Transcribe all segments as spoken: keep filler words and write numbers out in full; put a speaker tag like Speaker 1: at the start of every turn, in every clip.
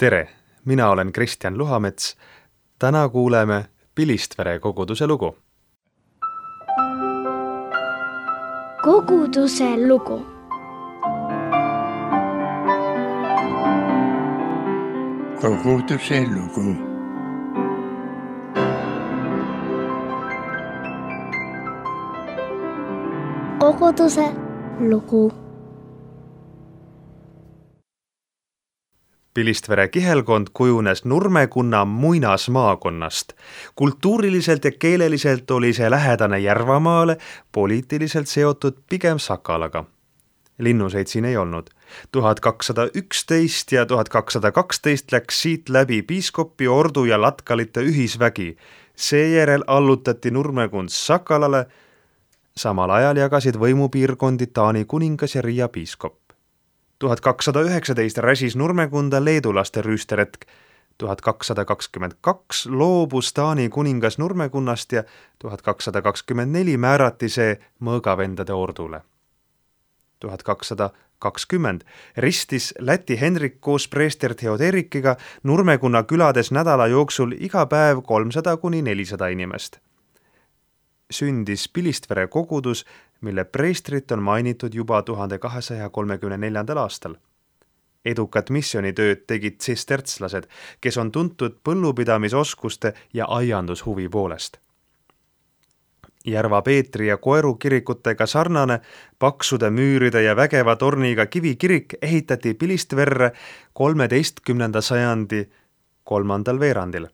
Speaker 1: Tere, mina olen Kristjan Luhamets. Täna kuuleme Pilistvere koguduse lugu.
Speaker 2: Koguduse lugu.
Speaker 3: Koguduse lugu.
Speaker 2: Koguduse lugu.
Speaker 1: Pilistvere kihelkond kujunes Nurmekunna muinasmaakonnast. Kultuuriliselt ja keeleliselt oli see lähedane Järvamaale, poliitiliselt seotud pigem Sakalaga. Linnuseid siin ei olnud. tuhat kakssada üksteist ja tuhat kakssada kaksteist läks siit läbi piiskopi, ordu ja latkalite ühisvägi. Seejärel allutati Nurmekund Sakalale. Samal ajal jagasid võimupiirkondi Taani kuningas ja Riia piiskop. tuhat kakssada üheksateist räsis Nurmekunda leedulaste rüüsteretk. tuhat kakssada kakskümmend kaks loobus Taani kuningas Nurmekunnast ja tuhat kakssada kakskümmend neli määrati see mõõgavendade ordule. tuhat kakssada kakskümmend ristis Läti Henrik koos preester Theoderikiga Nurmekunna külades nädala jooksul iga päev kolmsada kuni nelisada inimest. Sündis Pilistvere kogudus, mille preestrit on mainitud juba tuhande kahesaja kolmekümne neljandal aastal. Edukat missionitööd tegid tsistertslased, kes on tuntud põllupidamisoskuste ja aiandushuvi poolest. Järva Peetri ja Koeru kirikutega sarnane paksude müüride ja vägeva torniga kivikirik ehitati Pilistverre kolmeteistkümnenda sajandi kolmandal veerandil.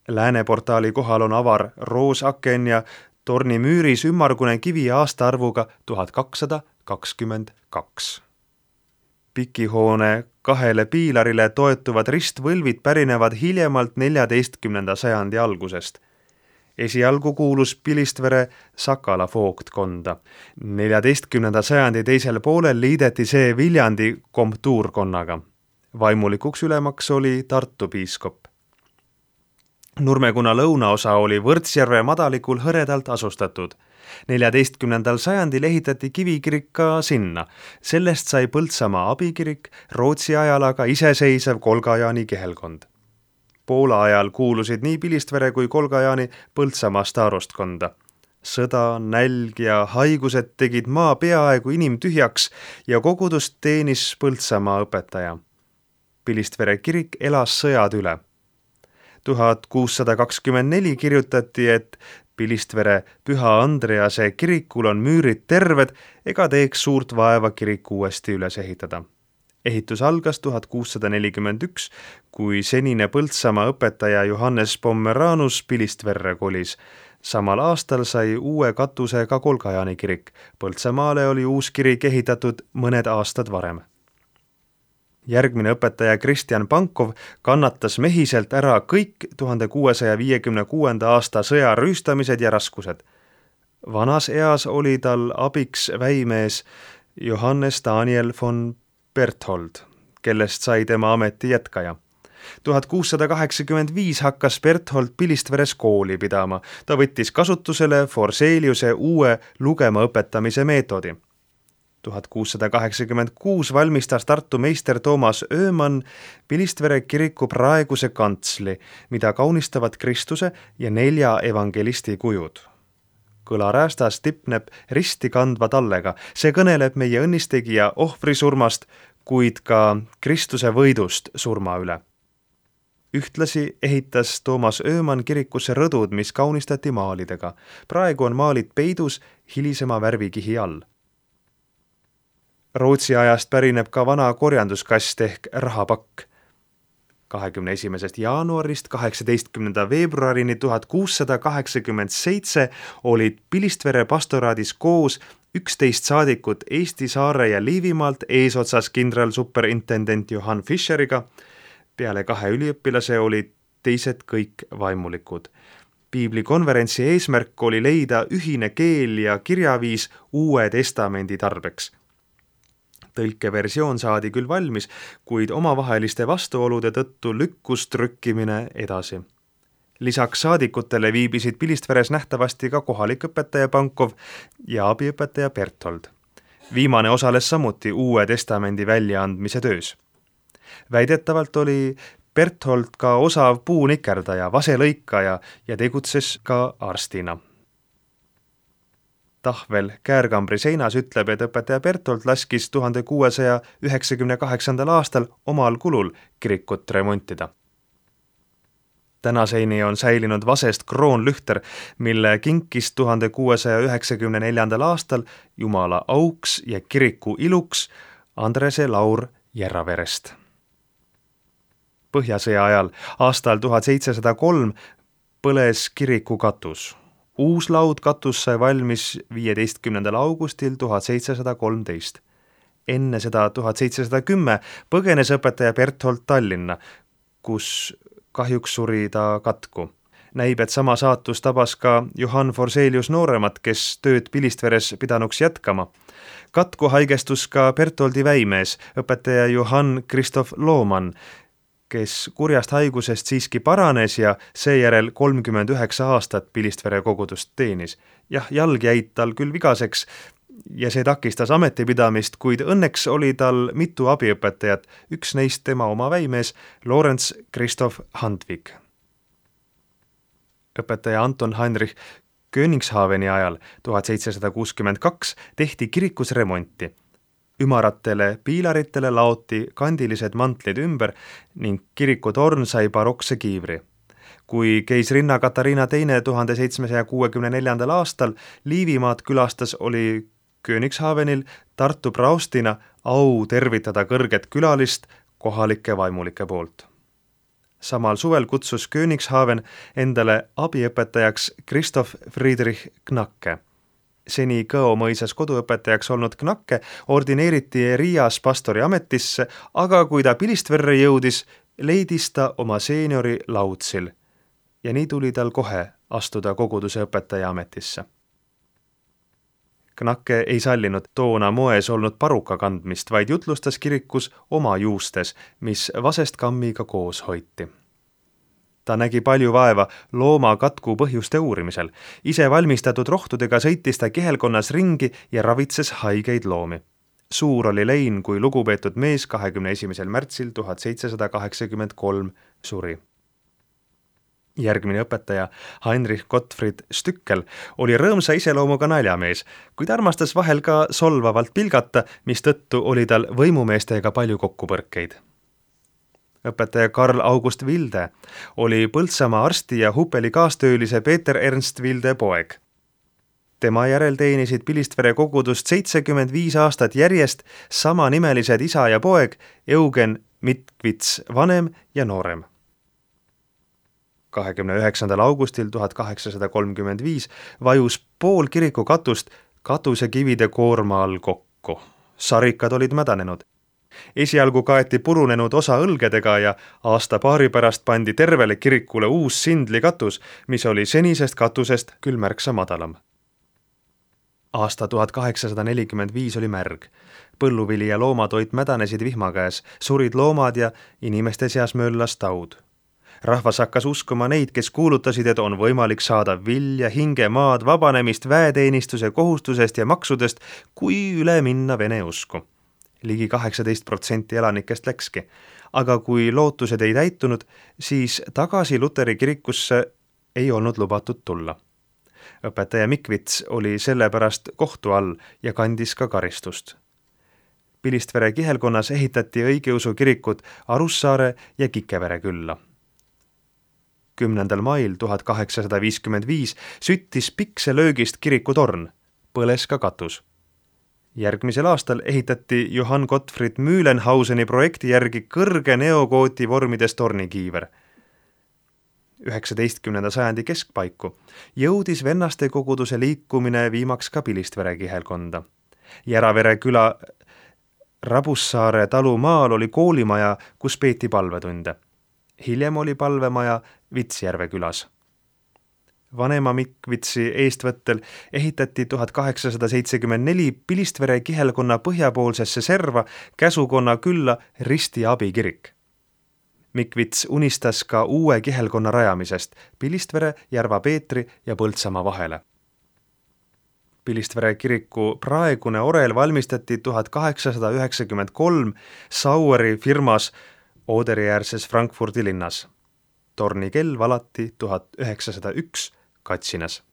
Speaker 1: Lääneportaali kohal on avar roosaken ja torni müüris ümmargune kivi aastaarvuga tuhat kakssada kakskümmend kaks. Pikihoone kahele piilarile toetuvad ristvõlvid pärinevad hiljemalt neljateistkümnenda sajandi algusest. Esialgu kuulus Pilistvere Sakala voogtkonda. neljateistkümnenda sajandi teisel poolel liideti see Viljandi komtuurkonnaga. Vaimulikuks ülemaks oli Tartu piiskop. Nurmekuna lõunaosa oli Võrtsjärve madalikul hõredalt asustatud. neljateistkümnendal sajandil ehitati kivikirik ka sinna. Sellest sai Põltsamaa abikirik, Rootsi ajal aga iseseisev Kolgajaani kihelkond. Poola ajal kuulusid nii Pilistvere kui Kolgajaani Põltsamaa staarostkonda. Sõda, nälg ja haigused tegid maa peaaegu inimtühjaks ja kogudust teenis Põltsamaa õpetaja. Pilistvere kirik elas sõjad üle. tuhat kuussada kakskümmend neli kirjutati, et Pilistvere Püha Andrease kirikul on müürid terved ega teeks suurt vaeva kirik uuesti üles ehitada. Ehitus algas tuhat kuussada nelikümmend üks, kui senine Põltsamaa õpetaja Johannes Pommeranus Pilistverre kolis. Samal aastal sai uue katuse ka Kolgajaani kirik. Põltsamaale oli uus kirik ehitatud mõned aastad varem. Järgmine õpetaja Kristjan Pankov kannatas mehiselt ära kõik tuhande kuuesaja viiekümne kuuenda aasta sõja rüüstamised ja raskused. Vanas eas oli tal abiks väimees Johannes Daniel von Berthold, kellest sai tema ameti jätkaja. tuhat kuussada kaheksakümmend viis hakkas Berthold Pilistveres kooli pidama. Ta võttis kasutusele Forseliuse uue lugema õpetamise meetodi. tuhat kuussada kaheksakümmend kuus valmistas Tartu meister Toomas Öömann Pilistvere kiriku praeguse kantsli, mida kaunistavad Kristuse ja nelja evangelisti kujud. Kõlaräästas tipneb risti kandva tallega. See kõneleb meie õnnistegija ohvrisurmast, kuid ka Kristuse võidust surma üle. Ühtlasi ehitas Toomas Öömann kirikusse rõdud, mis kaunistati maalidega. Praegu on maalid peidus hilisema värvikihi all. Rootsi ajast pärineb ka vana korjanduskast ehk rahapakk. kahekümne esimesest jaanuarist kaheksateistkümnenda veebruarini tuhat kuussada kaheksakümmend seitse olid Pilistvere pastoraadis koos üksteist saadikut Eesti, Saare ja Liivimaalt eesotsas kindral superintendent Johan Fischeriga. Peale kahe üliõpilase olid teised kõik vaimulikud. Piiblikonverentsi eesmärk oli leida ühine keel ja kirjaviis Uue Testamendi tarbeks. Tõlkeversioon saadi küll valmis, kuid omavaheliste vastuolude tõttu lükkus trükkimine edasi. Lisaks saadikutele viibisid Pilistveres nähtavasti ka kohalik õpetaja Pankov ja abiõpetaja Berthold. Viimane osales samuti Uue Testamendi väljaandmise töös. Väidetavalt oli Berthold ka osav puunikerdaja, vaselõikaja ja tegutses ka arstina. Tahvel käärkambri seinas ütleb, et õpetaja Berthold laskis tuhande kuuesaja üheksakümne kaheksandal aastal omal kulul kirikut remontida. Tänaseni on säilinud vasest kroonlühter, mille kinkis tuhande kuuesaja üheksakümne neljandal aastal Jumala auks ja kiriku iluks Andrese Laur Järraverest. Põhjasõja ajal aastal tuhat seitsesada kolm põles kiriku katus. Uus laudkatus sai valmis viieteistkümnendal augustil tuhat seitsesada kolmteist. Enne seda tuhat seitsesada kümme põgenes õpetaja Berthold Tallinna, kus kahjuks suri ta katku. Näib, et sama saatus tabas ka Johann Forselius nooremat, kes tööd Pilistveres pidanuks jätkama. Katku haigestus ka Bertholdi väimees, õpetaja Johann Christoph Lohmann, kes kurjast haigusest siiski paranes ja seejärel kolmkümmend üheksa aastat Pilistvere kogudust teenis. Jah, jalg jäid tal küll vigaseks ja see takistas ametipidamist, kuid õnneks oli tal mitu abiõpetajat, üks neist tema oma väimees, Lorenz Christoph Handvik. Õpetaja Anton Heinrich Königshaveni ajal tuhat seitsesada kuuskümmend kaks tehti kirikus remonti. Ümaratele piilaritele laoti kandilised mantlid ümber ning kirikutorn sai barokse kiivri. Kui keisrinna Katariina teine tuhande seitsmesaja kuuekümne neljandal aastal Liivimaad külastas, oli Königshavenil Tartu praostina au tervitada kõrget külalist kohalike vaimulike poolt. Samal suvel kutsus Königshaven endale abiõpetajaks Christoph Friedrich Knacke. Seni Kõo mõisas koduõpetajaks olnud Knacke ordineeriti Riias pastori ametisse, aga kui ta Pilistverre jõudis, leidis ta oma seeniori Lautsil ja nii tuli tal kohe astuda koguduse õpetaja ametisse. Knacke ei sallinud toona moes olnud paruka kandmist, vaid jutlustas kirikus oma juustes, mis vasest kammiga koos hoiti. Ta nägi palju vaeva looma katku põhjuste uurimisel. Ise valmistatud rohtudega sõitis ta kihelkonnas ringi ja ravitses haigeid loomi. Suur oli lein, kui lugupeetud mees kahekümne esimesel märtsil tuhat seitsesada kaheksakümmend kolm suri. Järgmine õpetaja, Heinrich Gottfried Stückel, oli rõõmsa iseloomuga naljamees, kuid armastas vahel ka solvavalt pilgata, mistõttu oli tal võimumeestega palju kokkupõrkeid. Õpetaja Karl August Vilde oli Põltsamaa arsti ja Hupeli kaastöölise Peeter Ernst Vilde poeg. Tema järel teenisid Pilistvere kogudust seitsekümmend viis aastat järjest samanimelised isa ja poeg Eugen Mitkvits vanem ja noorem. kahekümne üheksandal augustil tuhat kaheksasada kolmkümmend viis vajus pool kiriku katust katusekivide koorma all kokku. Sarikad olid mädanenud. Esialgu kaeti purunenud osa õlgedega ja aasta paari pärast pandi tervele kirikule uus sindlikatus, mis oli senisest katusest küll märksa madalam. Aasta tuhat kaheksasada nelikümmend viis oli märg. Põlluvili ja loomatoit mädanesid vihma käes, surid loomad ja inimeste seas möllas taud. Rahvas hakkas uskuma neid, kes kuulutasid, et on võimalik saada vilja, hinge, maad, vabanemist, väeteenistuse kohustusest ja maksudest, kui üle minna vene usku. Ligi kaheksateist protsenti elanikest läkski, aga kui lootused ei täitunud, siis tagasi Luteri kirikusse ei olnud lubatud tulla. Õpetaja Mikvits oli sellepärast kohtu all ja kandis ka karistust. Pilistvere kihelkonnas ehitati õigeusu kirikud Arussaare ja Kikevere külla. kümnendal mail tuhat kaheksasada viiskümmend viis süttis pikse löögist kirikutorn, põles ka katus. Järgmisel aastal ehitati Johann Gottfried Mühlenhauseni projekti järgi kõrge neogooti vormides tornikiiver. üheksateistkümnenda sajandi keskpaiku jõudis vennaste koguduse liikumine viimaks ka Pilistvere kihelkonda. Järavere küla Rabussaare talumaal oli koolimaja, kus peeti palvetunde. Hiljem oli palvemaja Vitsjärve külas. Vanema Mikvitsi eestvõttel ehitati tuhat kaheksasada seitsekümmend neli Pilistvere kihelkonna põhjapoolsesse serva käsukonna külla Risti abikirik. Mikvits unistas ka uue kihelkonna rajamisest Pilistvere, Järva Peetri ja Põltsamaa vahele. Pilistvere kiriku praegune orel valmistati tuhat kaheksasada üheksakümmend kolm Saueri firmas Ooderiäärses Frankfurdi linnas. Torni kell valati tuhat üheksasada üks Katsinas.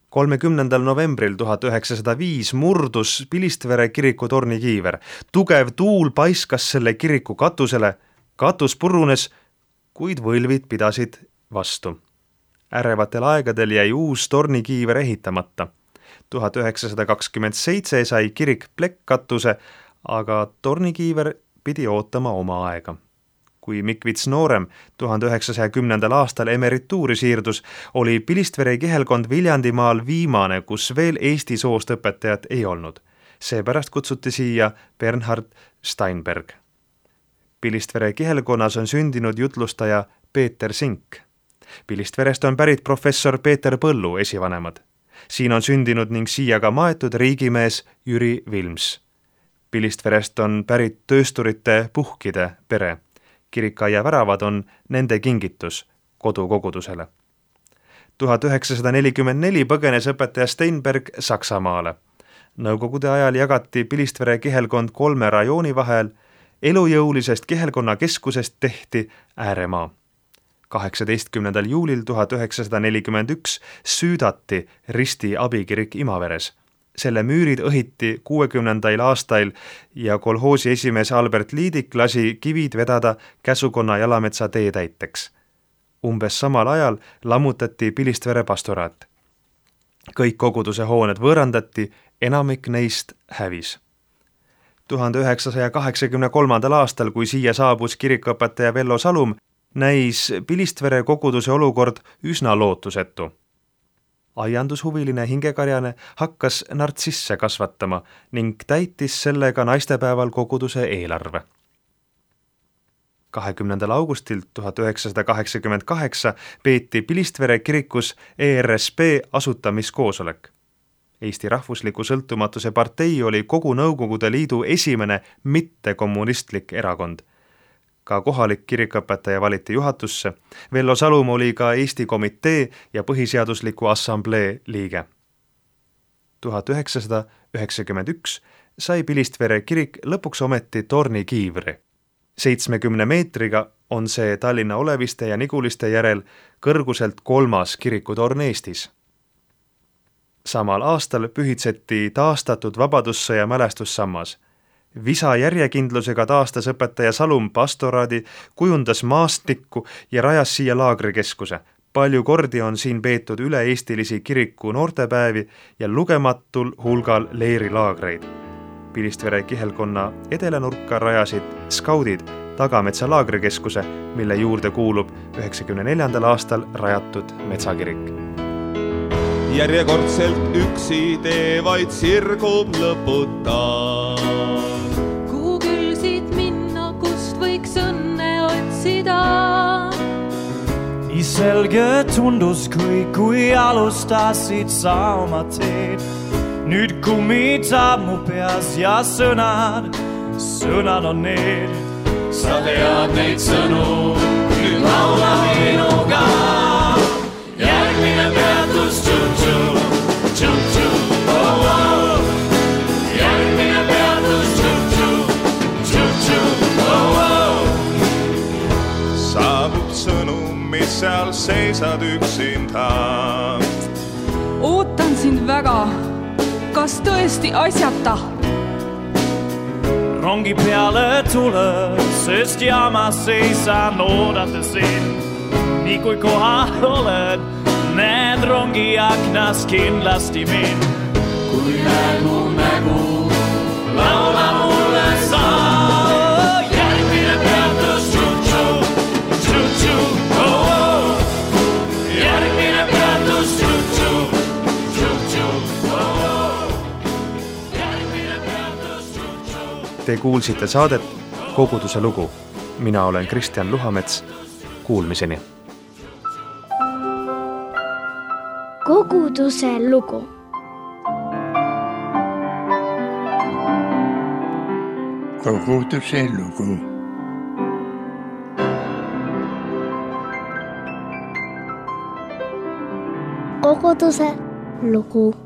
Speaker 1: kolmekümnendal novembril tuhat üheksasada viis murdus Pilistvere kiriku tornikiiver. Tugev tuul paiskas selle kiriku katusele, katus purunes, kuid võlvid pidasid vastu. Ärevatel aegadel jäi uus tornikiiver ehitamata. tuhat üheksasada kakskümmend seitse sai kirik plekkkatuse, aga tornikiiver pidi ootama oma aega. Kui Mikvits noorem tuhande üheksasaja kümnendal aastal emerituuri siirdus, oli Pilistvere kihelkond Viljandimaal viimane, kus veel eesti soost õpetajat ei olnud. Seepärast kutsuti siia Bernhard Steinberg. Pilistvere kihelkonnas on sündinud jutlustaja Peeter Sink. Pilistverest on pärit professor Peeter Põllu esivanemad. Siin on sündinud ning siia ka maetud riigimees Jüri Vilms. Pilistverest on pärit töösturite Puhkide pere. Kirikaia väravad on nende kingitus kodukogudusele. tuhat üheksasada nelikümmend neli põgenes õpetaja Steinberg Saksamaale. Nõukogude ajal jagati Pilistvere kihelkond kolme rajooni vahel, elujõulisest kihelkonna keskusest tehti ääremaa. kaheksateistkümnendal juulil tuhat üheksasada nelikümmend üks süüdati Risti abikirik Imaveres. Selle müürid õhiti kuuekümnendail aastail ja kolhoosi esimees Albert Liidik lasi kivid vedada Käsukonna Jalametsa tee täiteks. Umbes samal ajal lammutati Pilistvere pastoraat. Kõik koguduse hooned võõrandati, enamik neist hävis. tuhande üheksasaja kaheksakümne kolmandal aastal, kui siia saabus kirikuõpetaja Vello Salum, näis Pilistvere koguduse olukord üsna lootusetu. Aiandushuviline hingekarjane hakkas nartsisse kasvatama ning täitis sellega naistepäeval koguduse eelarve. kahekümnendal augustil tuhat üheksasada kaheksakümmend kaheksa peeti Pilistvere kirikus E R S P asutamiskoosolek. Eesti Rahvusliku Sõltumatuse partei oli kogu Nõukogude Liidu esimene mittekommunistlik erakond. Ka kohalik kirikuõpetaja valiti juhatusse. Vello Salum oli ka Eesti komitee ja põhiseadusliku assamblee liige. tuhat üheksasada üheksakümmend üks sai Pilistvere kirik lõpuks ometi tornikiivri. seitsmekümne meetriga on see Tallinna Oleviste ja Niguliste järel kõrguselt kolmas kirikutorn Eestis. Samal aastal pühitseti taastatud Vabadussõja mälestussammas. Visa järjekindlusega taastas õpetaja Salum pastoraadi, kujundas maastikku ja rajas siia laagrikeskuse. Palju kordi on siin peetud üle-eestilisi kiriku noortepäevi ja lugematul hulgal leerilaagreid. Pilistvere kihelkonna edelanurka rajasid skaudid Tagametsa laagrikeskuse, mille juurde kuulub üheksakümne neljandal aastal rajatud metsakirik.
Speaker 4: Järjekordselt üksi tee vaid sirgub lõputa.
Speaker 5: Kuhu küll siit minna, kust võiks õnne otsida?
Speaker 6: Nii selge tundus, kui, kui alustasid sa oma teed. Nüüd kummitab mu peas ja sõnad, sõnad on need. Sa tead neid sõnu, nüüd laula minuga. Järgmine peatus, tšu-tšu, tšu-tšu, oh, oh. Järgmine peatus, tšu-tšu, tšu-tšu, oh, oh.
Speaker 4: Saabub sõnum, mis seal seisad üksinda.
Speaker 5: Ootan sind väga, kas tõesti asjata?
Speaker 6: Rongi peale tule, sest jaamas seisan oodata sind. Nii kui kohal oled, näed rongi aknas kindlasti mind. Kui näed mu nägu, laula mulle sa. Järgmine peatus, tšu-tšu, tšu-tšu, oh, oh. Järgmine peatus, tšu-tšu, tšu-tšu, oh, oh. Järgmine peatus, tšu-tšu.
Speaker 1: Te kuulsite saadet Koguduse lugu. Mina olen Kristjan Luhamets. Kuulmiseni.
Speaker 2: Koguduse lugu.
Speaker 3: Koguduse lugu.
Speaker 2: Koguduse lugu.